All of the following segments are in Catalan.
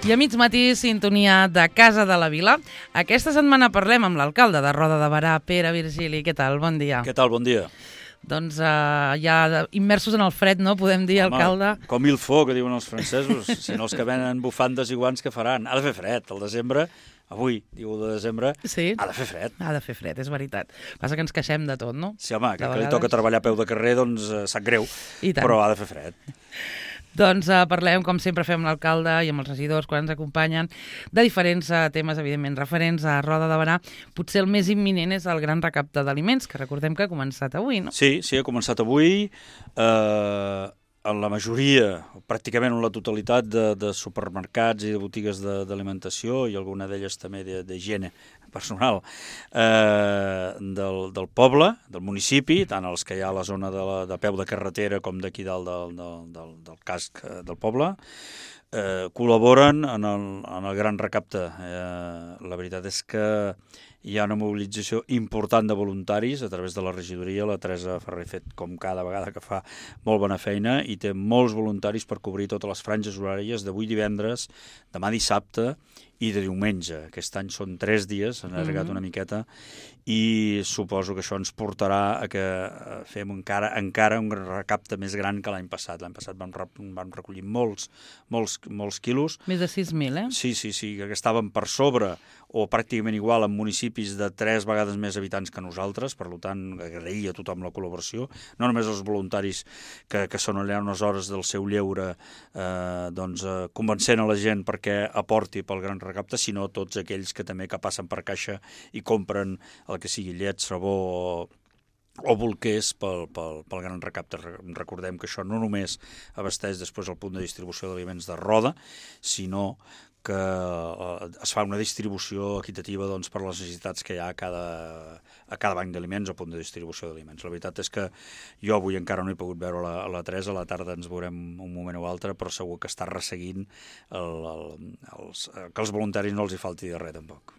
I a mig matí, sintonia de Casa de la Vila. Aquesta setmana parlem amb l'alcalde de Roda de Berà, Pere Virgili. Què tal? Bon dia. Què tal? Bon dia. Doncs ja immersos en el fred, no? Podem dir, alcalde. Com il faut, que diuen els francesos. Si no, els que venen bufandes i guants, què faran? Ha de fer fred. El desembre, avui, diu de desembre, sí, ha de fer fred. Ha de fer fred, és veritat. Passa que ens queixem de tot, no? Sí, home, que li toca treballar a peu de carrer, doncs sap greu, però ha de fer fred. Doncs parlem, com sempre fem l'alcalde i amb els regidors quan ens acompanyen, de diferents temes, evidentment, referents a Roda de Berà. Potser el més imminent és el gran recapte d'aliments, que recordem que ha començat avui, no? Sí, ha començat avui. En la majoria, pràcticament en la totalitat de supermercats i de botigues d'alimentació i alguna d'elles també d'higiene personal del poble, del municipi, tant els que hi ha a la zona de peu de carretera com d'aquí dalt del casc del poble, col·laboren en el gran recapte. La veritat és que hi ha una mobilització important de voluntaris a través de la regidoria. La Teresa Ferrer ha fet, com cada vegada que fa, molt bona feina i té molts voluntaris per cobrir totes les franges horàries d'avui divendres, demà dissabte i de diumenge. Aquest any són 3 dies, s'han allargat una miqueta, i suposo que això ens portarà a que fem encara un recapte més gran que l'any passat. L'any passat vam recollir molts quilos. Més de 6.000, eh? Sí, que estaven per sobre o pràcticament igual en municipis de 3 vegades més habitants que nosaltres, per tant, agrair a tothom la col·laboració, no només els voluntaris que són allà unes hores del seu lleure convencent a la gent perquè aporti pel gran recapte, sinó tots aquells que també que passen per caixa i compren el que sigui llet, sabó o bolquers pel gran recapte. Recordem que això no només abasteix després el punt de distribució d'aliments de Roda, sinó que es fa una distribució equitativa per les necessitats que hi ha a cada banc d'aliments o punt de distribució d'aliments. La veritat és que jo avui encara no he pogut veure la Teresa, a la tarda ens veurem un moment o altre, però segur que està resseguint que els voluntaris no els hi falti de res, tampoc.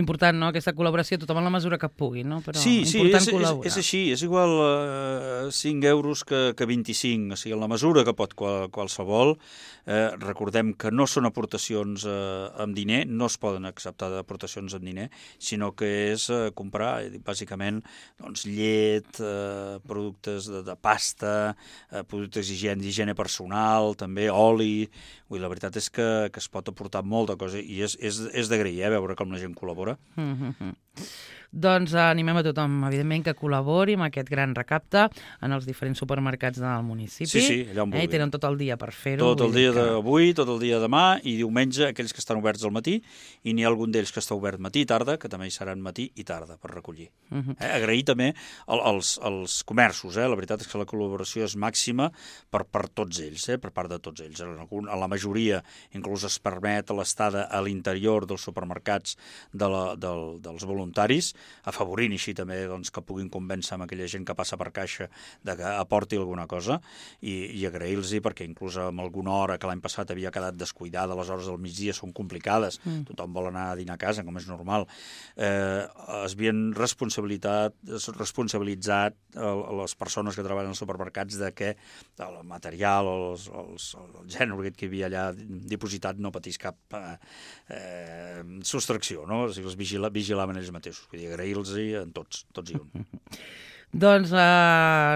Important, no?, aquesta col·laboració, tothom en la mesura que pugui, no? Però sí, col·laborar. És així, és igual 5 euros que 25, o sigui, en la mesura que pot qualsevol. Recordem que no són aportacions amb diner, no es poden acceptar aportacions amb diner, sinó que és comprar, bàsicament, llet, productes de pasta, productes d'higiene personal, també oli. La veritat és que es pot aportar molta cosa i és d'agrair, veure com la gent col·labora. Doncs animem a tothom, evidentment, que col·labori amb aquest gran recapte en els diferents supermercats del municipi. Sí, allà on vulgui. I tenen tot el dia per fer-ho. Tot el dia d'avui, tot el dia de demà i diumenge, aquells que estan oberts al matí, i n'hi ha algun d'ells que està obert matí i tarda, que també hi seran matí i tarda per recollir. Agrair també als comerços. La veritat és que la col·laboració és màxima per tots ells, per part de tots ells. A la majoria inclús es permet l'estada a l'interior dels supermercats dels voluntaris, afavorint així també que puguin convèncer amb aquella gent que passa per caixa de que aporti alguna cosa i agrair-los perquè inclús amb alguna hora que l'any passat havia quedat descuidada, les hores del migdia són complicades, tothom vol anar a dinar a casa, com és normal. Es havien responsabilitzat les persones que treballen als supermercats de que el material, el gènere que hi havia allà dipositat no patís cap sostracció, no? O sigui, els vigilaven ells mateixos. Vull dir, agrair-los en tots i un. Doncs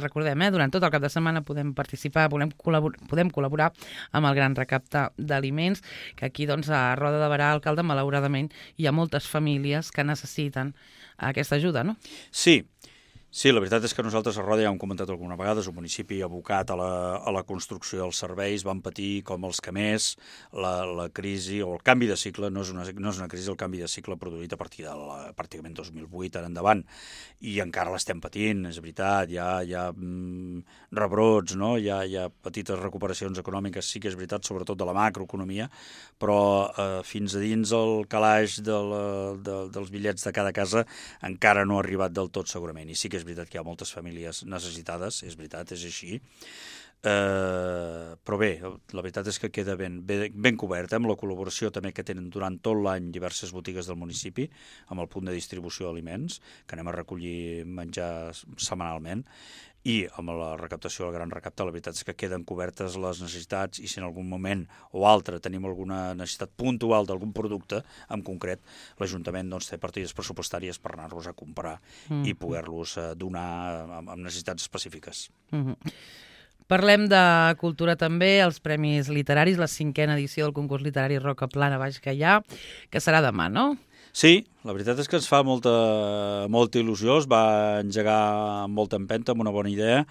recordem, durant tot el cap de setmana podem participar, podem col·laborar amb el gran recapte d'aliments, que aquí a Roda de Berà, alcalde, malauradament hi ha moltes famílies que necessiten aquesta ajuda, no? Sí, la veritat és que nosaltres a Roda ja ho hem comentat alguna vegada, és un municipi abocat a la construcció dels serveis, van patir com els que més la crisi o el canvi de cicle, no és una crisi, el canvi de cicle produït a partir de pràcticament 2008 en endavant, i encara l'estem patint, és veritat, hi ha rebrots, no? Hi ha petites recuperacions econòmiques, sí que és veritat, sobretot de la macroeconomia, però fins a dins el calaix dels bitllets de cada casa encara no ha arribat del tot segurament, i sí que és veritat que hi ha moltes famílies necessitades, és veritat, és així. Però bé, la veritat és que queda ben cobert, amb la col·laboració també que tenen durant tot l'any diverses botigues del municipi, amb el punt de distribució d'aliments, que anem a recollir menjar setmanalment, i amb la recaptació del gran recapte, la veritat és que queden cobertes les necessitats, i si en algun moment o altre tenim alguna necessitat puntual d'algun producte en concret, l'Ajuntament té partides pressupostàries per anar-los a comprar i poder-los donar amb necessitats específiques. Parlem de cultura també, els Premis Literaris, la 5a edició del concurs literari Roca Plana Baix Gaià, que serà demà, no? Sí, la veritat és que ens fa molta il·lusió, es va engegar amb molta empenta, amb una bona idea,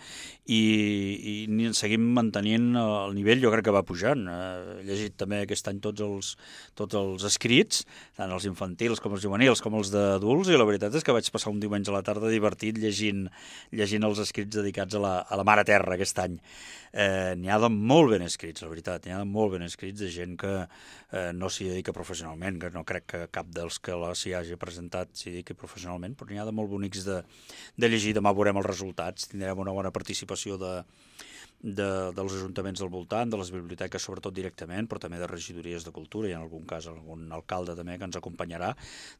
i seguim mantenint el nivell, jo crec que va pujant. He llegit també aquest any tots els escrits, tant els infantils com els juvenils com els d'adults, i la veritat és que vaig passar un diumenge a la tarda divertit llegint els escrits dedicats a la Mare Terra aquest any. N'hi ha de molt ben escrits, la veritat, n'hi ha de molt ben escrits de gent que no s'hi dedica professionalment, que no crec que cap dels que s'hi hagi presentat s'hi dediqui professionalment, però n'hi ha de molt bonics de llegir. Demà veurem els resultats, tindrem una bona participació dels ajuntaments del voltant, de les biblioteques sobretot directament, però també de regidories de cultura, i en algun cas algun alcalde també que ens acompanyarà,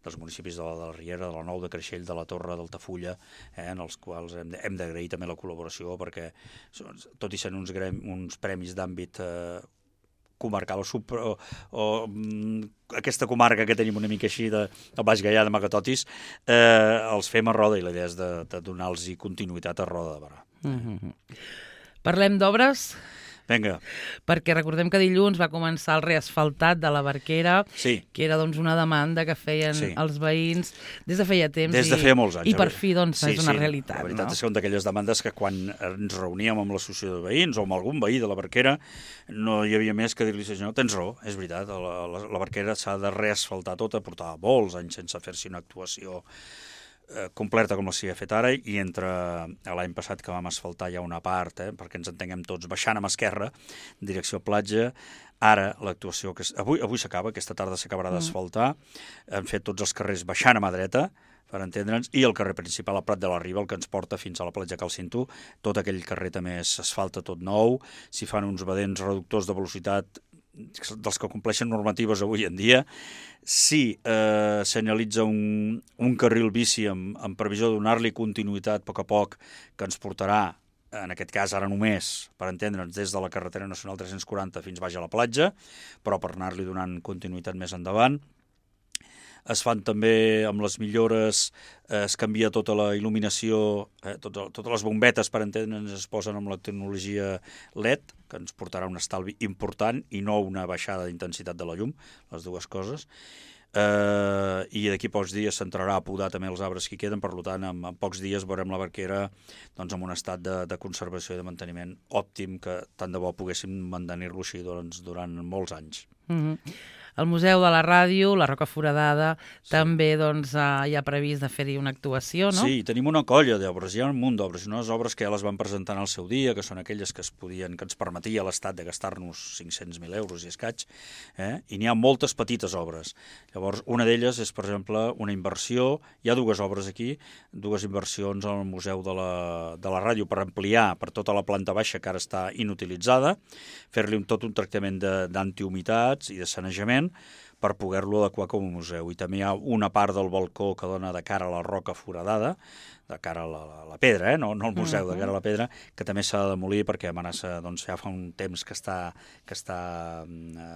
dels municipis de la Riera, de la Nou, de Creixell, de la Torre, d'Altafulla, en els quals hem d'agrair també la col·laboració, perquè tot i sent uns premis d'àmbit comarcal o aquesta comarca que tenim una mica així del Baix Gaià, de Magatotis, els fem a Roda, i la idea és de donar-los continuïtat a Roda de Berà. Parlem d'obres? Vinga. Perquè recordem que dilluns va començar el reasfaltat de la Barquera, sí, que era una demanda que feien els veïns des de feia temps. Des de feia molts anys. I per fi és una realitat. La veritat és que una d'aquelles demandes que quan ens reuníem amb l'associació de veïns o amb algun veí de la Barquera no hi havia més que dir-li, senyor, tens raó, és veritat, la Barquera s'ha de reasfaltar tota, portava molts anys sense fer-s'hi una actuació completa com la s'hi ha fet ara, i entre l'any passat que vam asfaltar ja una part, perquè ens entenguem tots, baixant amb esquerra, direcció platja, ara l'actuació, avui s'acaba, aquesta tarda s'acabarà d'asfaltar, hem fet tots els carrers baixant a mà dreta, per entendre'ns, i el carrer principal, el Prat de la Riba, el que ens porta fins a la platja Cal Cinto, tot aquell carrer també s'asfalta tot nou, s'hi fan uns badents reductors de velocitat dels que compleixen normatives avui en dia. Sí, s'analitza un carril bici amb previsió de donar-li continuïtat a poc, que ens portarà, en aquest cas ara només, per entendre'ns, des de la carretera nacional 340 fins baix a la platja, però per anar-li donant continuïtat més endavant. Es fan també amb les millores, es canvia tota la il·luminació, totes les bombetes, per entendre'ns, es posen amb la tecnologia LED, que ens portarà un estalvi important i no una baixada d'intensitat de la llum, les dues coses. I d'aquí a pocs dies s'entrarà a podar també els arbres que hi queden, per tant, en pocs dies veurem la Barquera en un estat de conservació i de manteniment òptim, que tant de bo poguéssim mantenir-lo així durant molts anys. El Museu de la Ràdio, la Roca Foradada, també hi ha previst de fer-hi una actuació, no? Sí, tenim una colla d'obres, hi ha un munt d'obres, unes obres que ja les van presentar al seu dia, que són aquelles que ens permetia l'Estat de gastar-nos 500.000 euros i escaig, i n'hi ha moltes petites obres. Llavors, una d'elles és, per exemple, una inversió, hi ha dues obres aquí, dues inversions al Museu de la Ràdio per ampliar per tota la planta baixa, que ara està inutilitzada, fer-li tot un tractament d'antihumitats i de sanejament, per poder-lo adequar com a museu. I també hi ha una part del balcó que dona de cara a la Roca Foradada, de cara a la pedra, no al museu, de cara a la pedra, que també s'ha de demolir perquè amenaça, ja fa un temps que està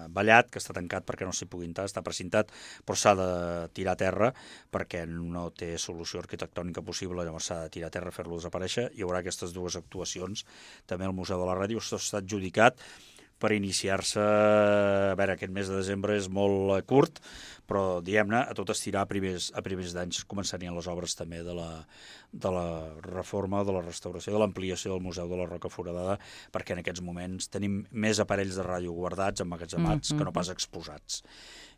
ballat, que està tancat perquè no s'hi pugui entrar, està precintat, però s'ha de tirar a terra perquè no té solució arquitectònica possible, llavors s'ha de tirar a terra, fer-lo desaparèixer. Hi haurà aquestes dues actuacions. També el Museu de la Ràdio està adjudicat per iniciar-se, a veure, aquest mes de desembre és molt curt, però, diguem-ne, a tot estirar a primers d'anys començarien les obres també de la reforma, de la restauració, de l'ampliació del Museu de la Roca Foradada, perquè en aquests moments tenim més aparells de ràdio guardats, emmagatzemats, que no pas exposats.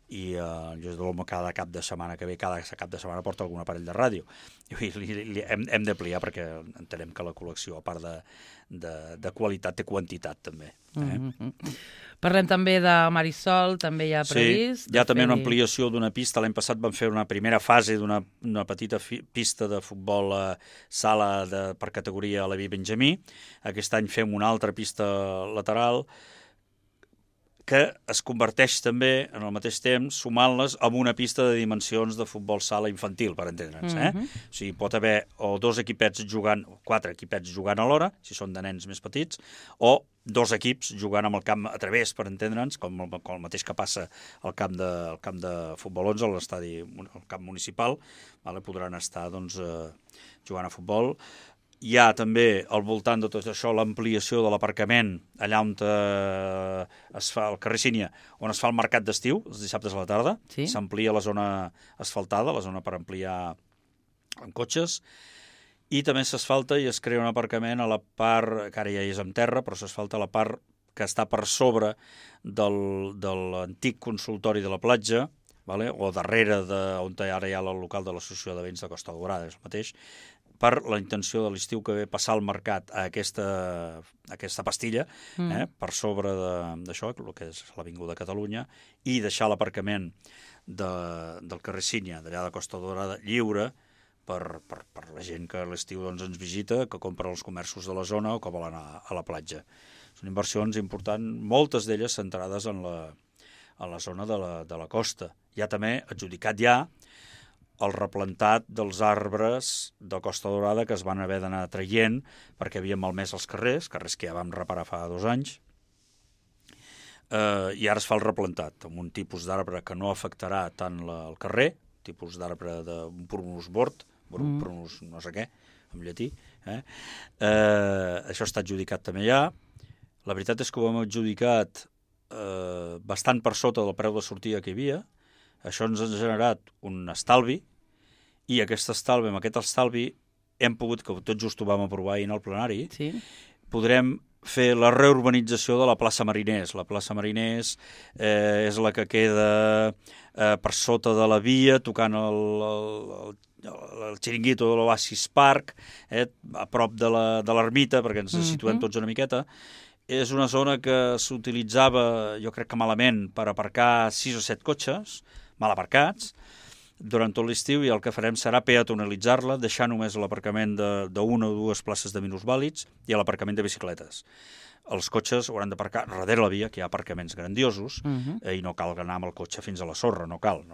i jo l'home cada cap de setmana que ve, cada cap de setmana porta algun aparell de ràdio. I hem d'ampliar perquè entenem que la col·lecció, a part de qualitat, té quantitat també. Parlem també de Marisol, també hi ha previst. Sí, hi ha també una ampliació d'una pista. L'any passat vam fer una primera fase d'una petita pista de futbol sala per categoria a la Levi Benjamí. Aquest any fem una altra pista lateral que es converteix també, en el mateix temps, sumant-les amb una pista de dimensions de futbol sala infantil, per entendre'ns. O sigui, pot haver o 2 equipets jugant, o 4 equipets jugant alhora, si són de nens més petits, o 2 equips jugant amb el camp a través, per entendre'ns, com el mateix que passa al camp de futbol 11, al camp municipal, podran estar jugant a futbol. Hi ha també, al voltant de tot això, l'ampliació de l'aparcament allà on es fa el carrer Sínia, on es fa el mercat d'estiu, els dissabtes a la tarda. Sí. S'amplia la zona asfaltada, la zona per ampliar amb cotxes, i també s'asfalta i es crea un aparcament a la part, que ara ja és amb terra, però s'asfalta a la part que està per sobre de l'antic consultori de la platja, o darrere on ara hi ha el local de l'Associació de Veïns de Costa Daurada, és el mateix, per la intenció de l'estiu que ve passar al mercat a aquesta pastilla, per sobre d'això, el que és l'Avinguda Catalunya, i deixar l'aparcament del carrer Sínia, d'allà de Costa Daurada, lliure per la gent que a l'estiu ens visita, que compra els comerços de la zona o que vol anar a la platja. Són inversions importants, moltes d'elles centrades en la zona de la costa. Hi ha també adjudicat el replantat dels arbres de Costa Daurada que es van haver d'anar traient perquè havien malmès els carrers que ja vam reparar fa 2 anys, i ara es fa el replantat amb un tipus d'arbre que no afectarà tant el carrer, tipus d'arbre d'un prunus bord, prunus no sé què, en llatí. Això està adjudicat també ja. La veritat és que ho hem adjudicat bastant per sota del preu de sortida que hi havia. Això ens ha generat un estalvi, i amb aquest estalvi hem pogut, que tot just ho vam aprovar ahir en el plenari, podrem fer la reurbanització de la plaça Mariners. La plaça Mariners és la que queda per sota de la via, tocant el xiringuito de l'Oasis Park, a prop de l'ermita, perquè ens situem tots una miqueta. És una zona que s'utilitzava, jo crec que malament, per aparcar 6 o 7 cotxes, mal aparcats, durant tot l'estiu, i el que farem serà peatonalitzar-la, deixar només l'aparcament d'una o 2 places de minusvàlids i l'aparcament de bicicletes. Els cotxes hauran d'aparcar darrere la via, que hi ha aparcaments grandiosos, i no cal anar amb el cotxe fins a la sorra, no cal.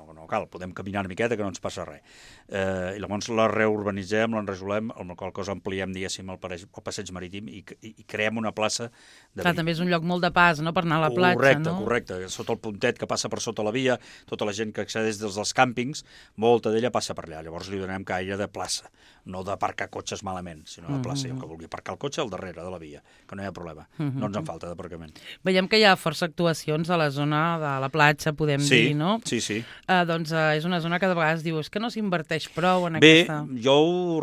Podem caminar una miqueta que no ens passa res. I llavors la reurbanitzem, l'enresolem, amb la qual cosa ampliem, diguéssim, el passeig marítim i creem una plaça de... Clar, també és un lloc molt de pas, no?, per anar a la platja, no? Correcte. Sota el puntet que passa per sota la via, tota la gent que accedeix des dels càmpings, molta d'ella passa per allà. Llavors li donem caire de plaça, no d'aparcar cotxes malament, sinó de plaça. I el que vulgui aparcar el cotxe al darrere de la via, que no hi ha problema. No ens en falta d'aparcament. Veiem que hi ha força actuacions a la zona de la platja, podem dir, no? Sí. Doncs és una zona que de vegades diu que no s'inverteix prou en aquesta... Bé, jo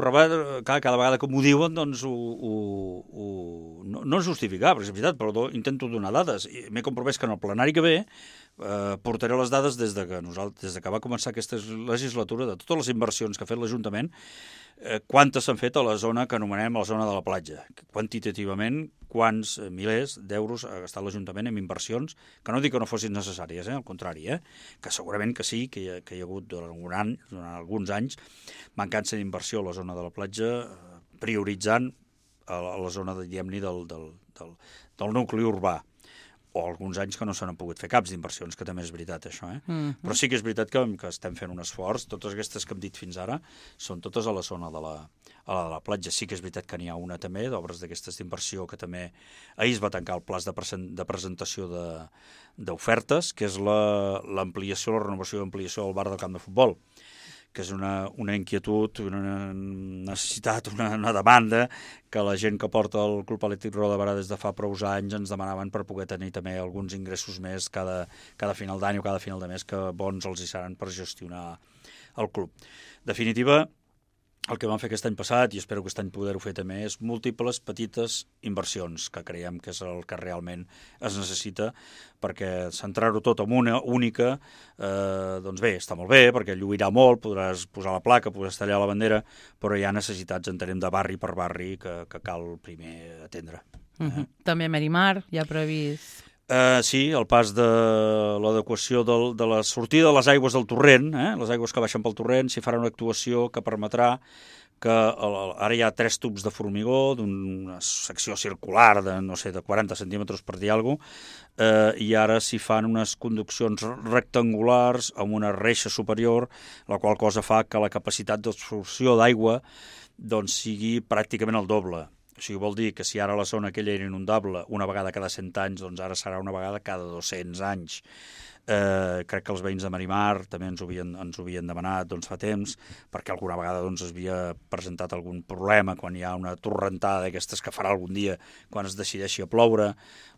cada vegada que m'ho diuen, doncs no és justificar, perquè és veritat, però intento donar dades. M'he compromès que en el plenari que ve portaré les dades des que va començar aquesta legislatura, de totes les inversions que ha fet l'Ajuntament, quantes s'han fet a la zona que anomenem la zona de la platja. Quantitativament, quants milers d'euros ha gastat l'Ajuntament en inversions, que no dic que no fossin necessàries, al contrari, que segurament que sí, que hi ha hagut durant alguns anys mancança d'inversió a la zona de la platja, prioritzant a la zona, diguem-ne, del nucli urbà, o alguns anys que no s'han pogut fer caps d'inversions, que també és veritat, això. Però sí que és veritat que estem fent un esforç. Totes aquestes que hem dit fins ara són totes a la zona de la platja. Sí que és veritat que n'hi ha una també, d'obres d'aquestes d'inversió, que també ahir es va tancar el pla de presentació d'ofertes, que és l'ampliació, la renovació i ampliació del bar del camp de futbol, que és una inquietud, una necessitat, una demanda que la gent que porta el Club Atlètic Roda de Berà des de fa prou anys ens demanaven per poder tenir també alguns ingressos més cada final d'any o cada final de mes, que bons els hi seran per gestionar el club. En definitiva, el que vam fer aquest any passat, i espero que aquest any poder-ho fer també, és múltiples petites inversions, que creiem que és el que realment es necessita, perquè centrar-ho tot en una única, doncs bé, està molt bé, perquè lluirà molt, podràs posar la placa, podràs tallar la bandera, però hi ha necessitats, entenem, de barri per barri, que cal primer atendre. També a Merimar hi ha previst... Sí, el pas de l'adequació de la sortida de les aigües del torrent, les aigües que baixen pel torrent, s'hi farà una actuació que permetrà que ara hi ha 3 tubs de formigó d'una secció circular de, no sé, de 40 centímetres per dir alguna cosa, i ara s'hi fan unes conduccions rectangulars amb una reixa superior, la qual cosa fa que la capacitat d'absorció d'aigua doncs, sigui pràcticament el doble. O sigui, vol dir que si ara la zona aquella era inundable una vegada cada 100 anys, doncs ara serà una vegada cada 200 anys. Crec que els veïns de Merimar també ens ho havien demanat doncs, fa temps, perquè alguna vegada doncs, es havia presentat algun problema quan hi ha una torrentada d'aquestes que farà algun dia quan es decideixi a ploure.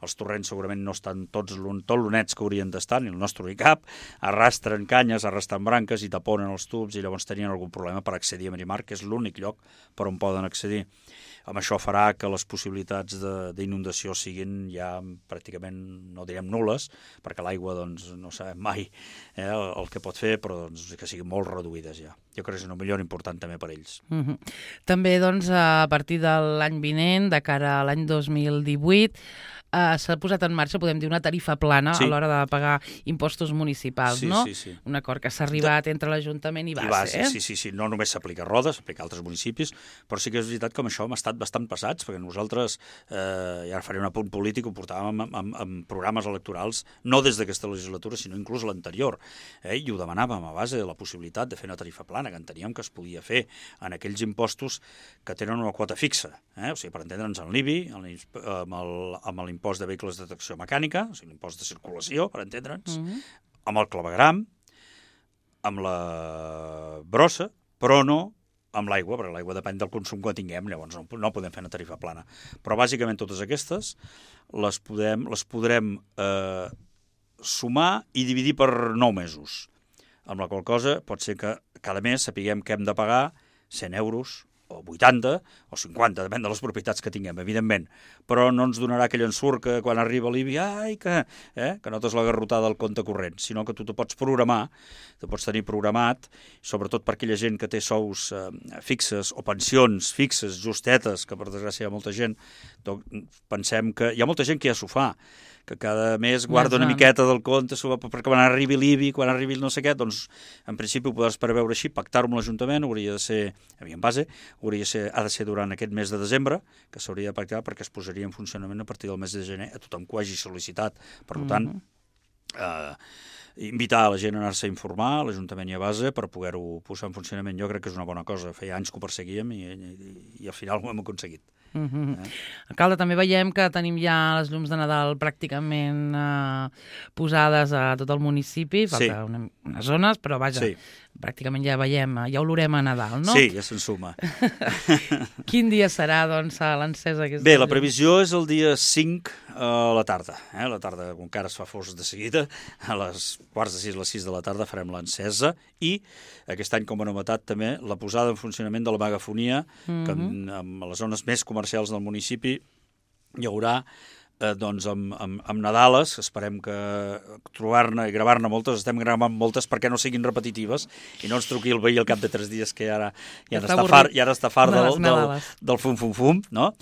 Els torrents segurament no estan tot l'unets que haurien d'estar, ni el nostre ni cap, arrastren canyes, arrastren branques i taponen els tubs i llavors tenien algun problema per accedir a Merimar, que és l'únic lloc per on poden accedir. Amb això farà que les possibilitats d'inundació siguin ja pràcticament, no direm nul·les, perquè l'aigua doncs, no sabem mai el que pot fer, però doncs, que siguin molt reduïdes ja. Jo crec que és una millora important també per ells. També doncs, a partir de l'any vinent, de cara a l'any 2018, s'ha posat en marxa, podem dir, una tarifa plana a l'hora de pagar impostos municipals, no? Sí. Un acord que s'ha arribat entre l'Ajuntament i base. Sí. No només s'aplica a Roda, s'aplica a altres municipis, però sí que és veritat que amb això hem estat bastant passats, perquè nosaltres, i ara faré un apunt polític, ho portàvem amb programes electorals, no des d'aquesta legislatura, sinó inclús l'anterior, i ho demanàvem a base de la possibilitat de fer una tarifa plana, que enteníem que es podia fer en aquells impostos que tenen una quota fixa, o sigui, per entendre'ns en l'IBI, amb l'impost de vehicles de tracció mecànica, o sigui, l'impost de circulació, per entendre'ns, amb el clavegram, amb la brossa, però no amb l'aigua, perquè l'aigua depèn del consum que tinguem, llavors no podem fer una tarifa plana. Però bàsicament totes aquestes les podrem sumar i dividir per 9 mesos, amb la qual cosa pot ser que cada mes sapiguem que hem de pagar 100 euros, o 80 o 50, depèn de les propietats que tinguem, evidentment, però no ens donarà aquell ensurt que quan arriba l'IBI, que notes la garrotada del compte corrent, sinó que tu te pots programar, te pots tenir programat, sobretot per aquella gent que té sous fixes o pensions fixes, justetes, que per desgràcia hi ha molta gent, doncs pensem que hi ha molta gent que ja s'ho fa, que cada mes guarda una miqueta del compte perquè quan arribi l'IBI, quan arribi no sé què, doncs en principi ho podràs preveure així, pactar-ho amb l'Ajuntament, hauria de ser, en base, ha de ser durant aquest mes de desembre, que s'hauria de pactar perquè es posaria en funcionament a partir del mes de gener a tothom que ho hagi sol·licitat. Per tant, invitar a la gent a anar-se a informar, a l'Ajuntament i a base, per poder-ho posar en funcionament. Jo crec que és una bona cosa. Feia anys que ho perseguíem i al final ho hem aconseguit. Alcalde, també veiem que tenim ja les llums de Nadal pràcticament posades a tot el municipi, falta unes zones, però vaja, pràcticament ja veiem, ja olorem a Nadal, no? Sí, ja se'n suma. Quin dia serà, doncs, l'encesa? Bé, la previsió és el dia 5 a la tarda. A la tarda, com que ara es fa fos de seguida, a les 5:45, les 6 de la tarda farem l'encesa i aquest any, com a novetat també, la posada en funcionament de la megafonia, que en les zones més comercials del municipi hi haurà doncs amb Nadales, esperem que trobar-ne i gravar-ne moltes, estem gravant moltes perquè no siguin repetitives i no ens truqui el veí al cap de 3 dies que ja està fart del fum-fum-fum, no?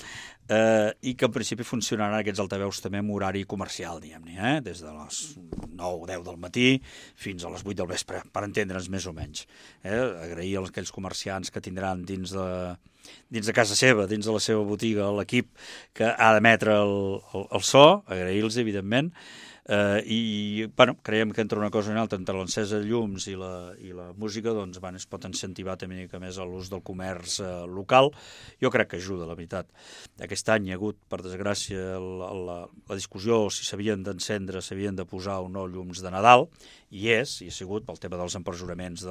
I que en principi funcionaran aquests altaveus també amb horari comercial, diguem-ne, des de les 9 o 10 del matí fins a les 8 del vespre, per entendre'ns més o menys. Agrair a aquells comerciants que tindran dins de casa seva, dins de la seva botiga, l'equip que ha d'emetre el so, agrair-los, evidentment, i creiem que entre una cosa i una altra, entre l'encesa de llums i la música, doncs es pot incentivar també una mica més l'ús del comerç local. Jo crec que ajuda, la veritat. Aquest any hi ha hagut, per desgràcia, la discussió si s'havien d'encendre, s'havien de posar o no llums de Nadal, i ha sigut pel tema dels empresonaments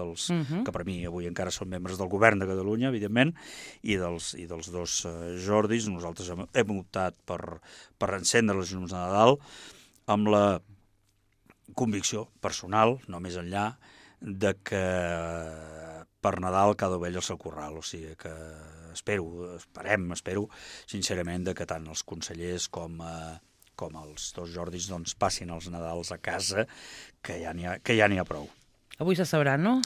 que per mi avui encara són membres del govern de Catalunya, evidentment, i dels dos Jordis. Nosaltres hem optat per encendre les llums de Nadal amb la convicció personal, no més enllà, de que per Nadal cada ovella al seu corral, o sigui que espero sincerament que tant els consellers com els dos Jordis doncs, passin els Nadals a casa, que ja n'hi ha prou. Avui se sabrà, no?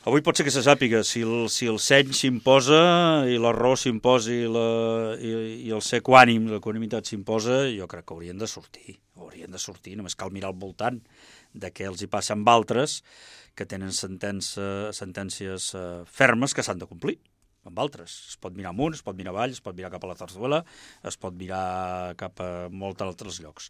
Avui pot ser que se sàpiga, si el seny s'imposa i l'arròs s'imposa i el ser equànim, l'equanimitat s'imposa, jo crec que haurien de sortir, només cal mirar al voltant de què els hi passa amb altres que tenen sentències fermes que s'han de complir amb altres. Es pot mirar amunt, es pot mirar avall, es pot mirar cap a la Zarzuela, es pot mirar cap a molts altres llocs.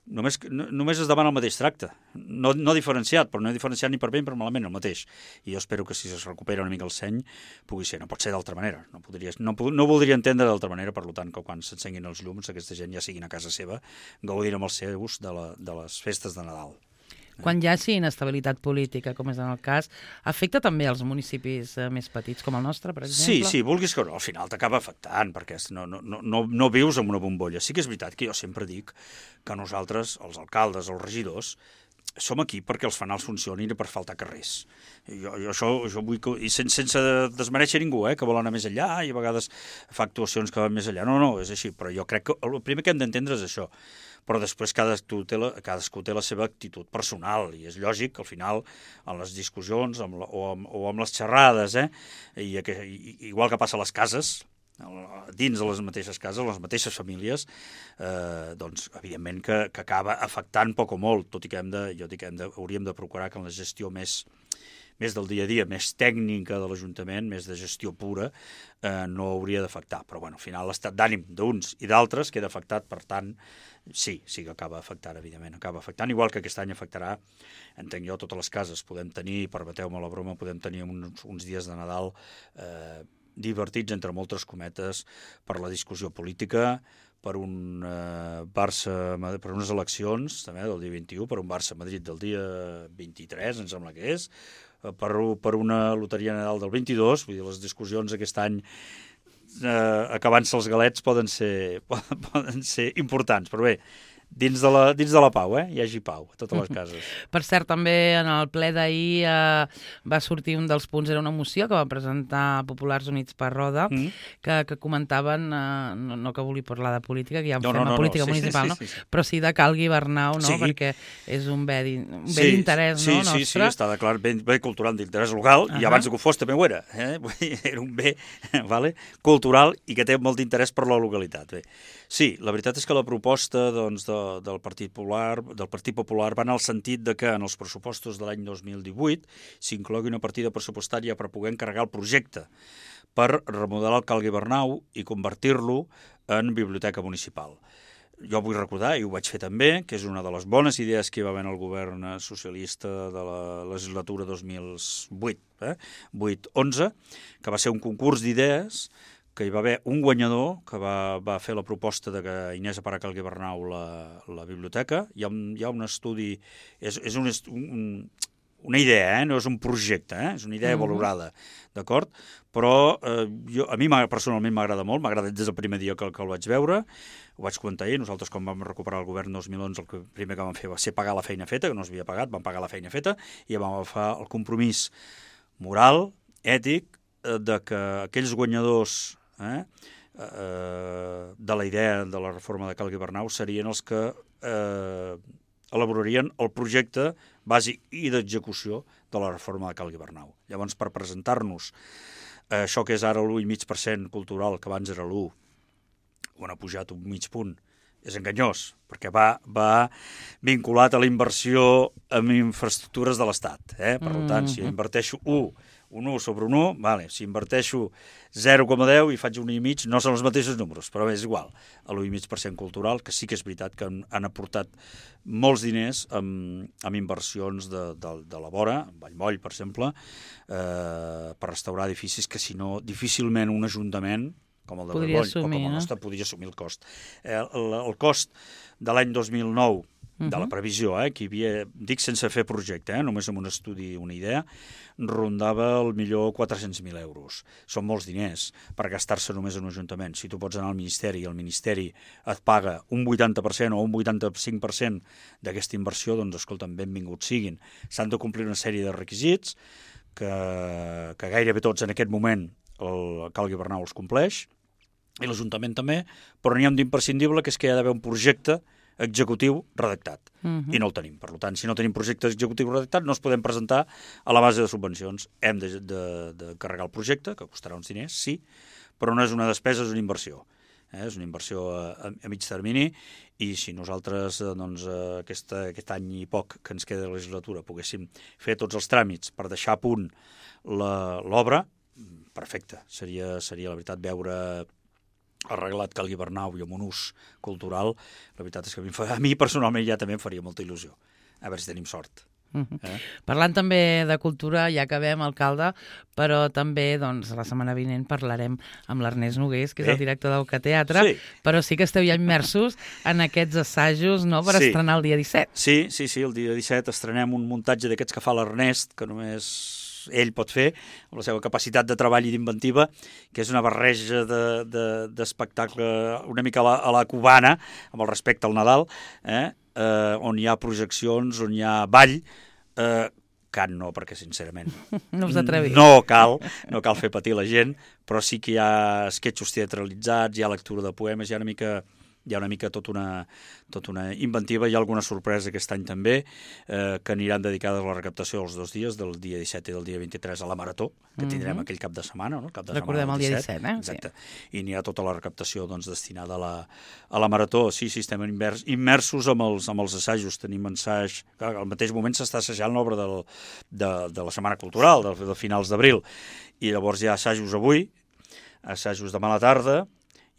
Només es demana el mateix tracte, no diferenciat, però no diferenciat ni per bé ni per malament, el mateix. I jo espero que si es recupera una mica el seny pugui ser, no pot ser d'altra manera, no voldria entendre d'altra manera, per tant, que quan s'encenguin els llums aquesta gent ja siguin a casa seva, gaudint amb els seus de les festes de Nadal. Quan hi hagi inestabilitat política, com és en el cas, afecta també els municipis més petits, com el nostre, per exemple? Sí, vulguis que no, al final t'acaba afectant, perquè no vius en una bombolla. Sí que és veritat que jo sempre dic que nosaltres, els alcaldes, els regidors, som aquí perquè els fanals funcionin i per faltar carrers. Jo vull que, i sense desmereixer ningú, que vol anar més enllà i a vegades fa actuacions que van més enllà. No, és així, però jo crec que el primer que hem d'entendre és això. Però després cadascú té la seva actitud personal i és lògic que al final en les discussions o amb les xerrades, igual que passa a les cases, dins de les mateixes cases, les mateixes famílies, doncs evidentment que acaba afectant poc o molt, tot i que hauríem de procurar que en la gestió més del dia a dia, més tècnica de l'Ajuntament, més de gestió pura, no hauria d'afectar. Però bueno, al final l'estat d'ànim d'uns i d'altres queda afectat, per tant, sí que acaba afectant, evidentment, acaba afectant, igual que aquest any afectarà, entenc jo, totes les cases. Podem tenir, permeteu-me la broma, podem tenir uns dies de Nadal divertits, entre moltes cometes, per la discussió política, per per unes eleccions, també, del dia 21, per un Barça-Madrid del dia 23, em sembla que és, per una loteria Nadal del 22, vull dir, les discussions aquest any acabant-se els galets poden ser importants, però bé, dins de la pau, hi hagi pau a totes les cases. Per cert, també en el ple d'ahir va sortir un dels punts, era una moció que va presentar Populars Units per Roda, que comentaven, no que vulgui parlar de política, que ja fem a política municipal, sí, però sí de Cal Guibernau, no? Sí. Perquè és un bé d'interès nostre. Sí, està declarat bé cultural d'interès local, i abans que ho fos també ho era. Era un bé cultural i que té molt d'interès per la localitat. Sí, la veritat és que la proposta del Partit Popular va en el sentit de que en els pressupostos de l'any 2018 s'inclogui una partida pressupostària per poder encarregar el projecte per remodelar el Cal Guibernau i convertir-lo en biblioteca municipal. Jo vull recordar, i ho vaig fer també, que és una de les bones idees que hi va haver en el govern socialista de la legislatura 2008-11, que va ser un concurs d'idees que hi va haver un guanyador que va fer la proposta de que Inés Aparac al Guibernau la biblioteca. Hi ha un estudi, és una idea, no és un projecte, és una idea valorada, d'acord? Però a mi personalment m'agrada molt, m'ha agradat des del primer dia que el vaig veure, ho vaig comentar ahir, nosaltres quan vam recuperar el govern 2011 el primer que vam fer va ser pagar la feina feta, que no s'havia pagat, vam pagar la feina feta i vam agafar el compromís moral, ètic, de que aquells guanyadors de la idea de la reforma de Cal Guibernau serien els que elaborarien el projecte bàsic i d'execució de la reforma de Cal Guibernau. Llavors, per presentar-nos això que és ara l'1,5% cultural, que abans era l'1, on ha pujat un mig punt, és enganyós, perquè va vinculat a la inversió en infraestructures de l'Estat. Per tant, si inverteixo un 1 sobre un 1, si inverteixo 0,10 i faig un 1,5, no són els mateixos números, però és igual. A l'1,5% cultural, que sí que és veritat que han aportat molts diners amb inversions de la vora, Vallmoll, per exemple, per restaurar edificis que, si no, difícilment un ajuntament com el de Vallmoll o com el nostre podria assumir el cost. El cost de l'any 2009 de la previsió, que hi havia, dic sense fer projecte, només amb un estudi, una idea, rondava el millor 400.000 euros. Són molts diners per gastar-se només en un ajuntament. Si tu pots anar al Ministeri i el Ministeri et paga un 80% o un 85% d'aquesta inversió, doncs, escolta'm, benvinguts siguin. S'han de complir una sèrie de requisits que gairebé tots en aquest moment el Cal Guibernau els compleix, i l'Ajuntament també, però n'hi ha un d'imprescindible, que és que hi ha d'haver un projecte executiu redactat, i no el tenim. Per tant, si no tenim projecte executiu redactat, no es podem presentar a la base de subvencions. Hem de carregar el projecte, que costarà uns diners, sí, però no és una despesa, és una inversió. És una inversió a mig termini, i si nosaltres aquest any i poc que ens queda de legislatura poguéssim fer tots els tràmits per deixar a punt l'obra, perfecte. Seria la veritat veure arreglat Cal Guibernau i amb un ús cultural. La veritat és que a mi personalment ja també em faria molta il·lusió. A veure si tenim sort. Parlant també de cultura, ja acabem, alcalde, però també la setmana vinent parlarem amb l'Ernest Nogués, que és el director del Teatre, però sí que esteu ja immersos en aquests assajos, no?, per estrenar el dia 17. Sí, el dia 17 estrenem un muntatge d'aquests que fa l'Ernest, que només ell pot fer, amb la seva capacitat de treball i d'inventiva, que és una barreja d'espectacle una mica a la cubana, amb el respecte al Nadal, on hi ha projeccions, on hi ha ball, cant no, perquè sincerament no us atreviu. No cal fer patir la gent, però sí que hi ha esquetxos teatralitzats, hi ha lectura de poemes, hi ha una mica tot una inventiva. Hi ha alguna sorpresa aquest any també, que aniran dedicades a la recaptació els 2 dies, del dia 17 i del dia 23, a la Marató, que tindrem aquell cap de setmana, no? Recordem el dia 17, Exacte. I n'hi ha tota la recaptació destinada a la Marató. Sí, estem immersos amb els assajos. Tenim ensaig... Clar, al mateix moment s'està assajant l'obra de la Setmana Cultural, de finals d'abril, i llavors hi ha assajos avui, assajos demà a la tarda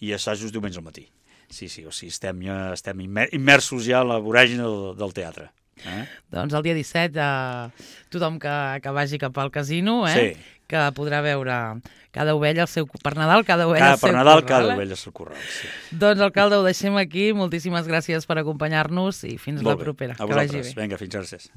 i assajos diumenge al matí. Sí, o sigui, estem immersos ja en la voràgine del teatre. Doncs el dia 17, tothom que vagi cap al casino, que podrà veure cada ovella per Nadal, cada ovella al seu corral. Cada ovella al seu corral, sí. Doncs, alcalde, ho deixem aquí. Moltíssimes gràcies per acompanyar-nos i fins la propera. A vosaltres. Vinga, fins gràcies.